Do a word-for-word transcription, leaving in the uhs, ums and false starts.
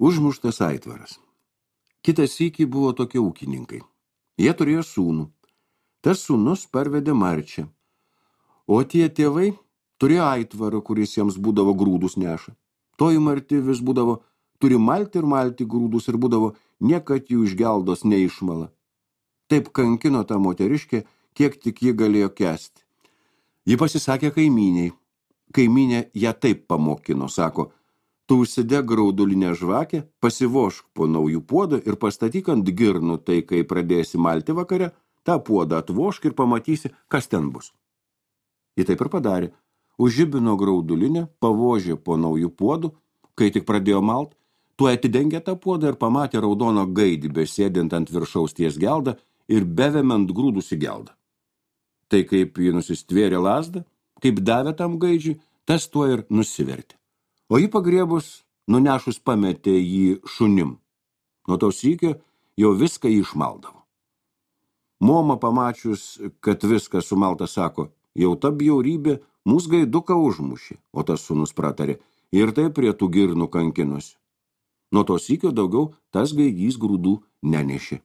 Užmuštas aitvaras. Kitas sykį buvo tokie ūkininkai. Jie turėjo sūnų. Tas sūnus parvedė marčią. O tie tėvai turėjo aitvarą, kuris jiems būdavo grūdus neša. Toji marti vis būdavo, turi malti ir malti grūdus ir būdavo, niekad jų iš geldos neišmala. Taip kankino tą moteriškę, kiek tik ji galėjo kęsti. Ji pasisakė kaimyniai. Kaimynė ją taip pamokino, sako, tu užsidek graudulinę žvakę, pasivošk po naujų puodą ir pastatyk ant girnų, tai kai pradėsi malti vakare, tą puodą atvošk ir pamatysi, kas ten bus. Ji taip ir padarė. Užžibino graudulinę, pavožė po naujų puodų, kai tik pradėjo malt, tuo atidengė tą puodą ir pamatė raudono gaidį besėdint ant viršaus ties geldą ir bevemiant grūdus į geldą. Tai kaip ji nusistvėrė lazdą, kaip davė tam gaidžiui, tas tuo ir nusivertė. O jį pagriebus, nunešus pametė jį šunim. Nuo to sykio jau viską jį išmaldavo. Moma pamačius, kad viskas sumalta, sako, jau ta bjaurybė mūsų gaiduką užmušė, o tas sūnus pratarė, ir tai prie tų girnų kankinosi. Nuo to sykio daugiau tas gaidys grūdų nenešė.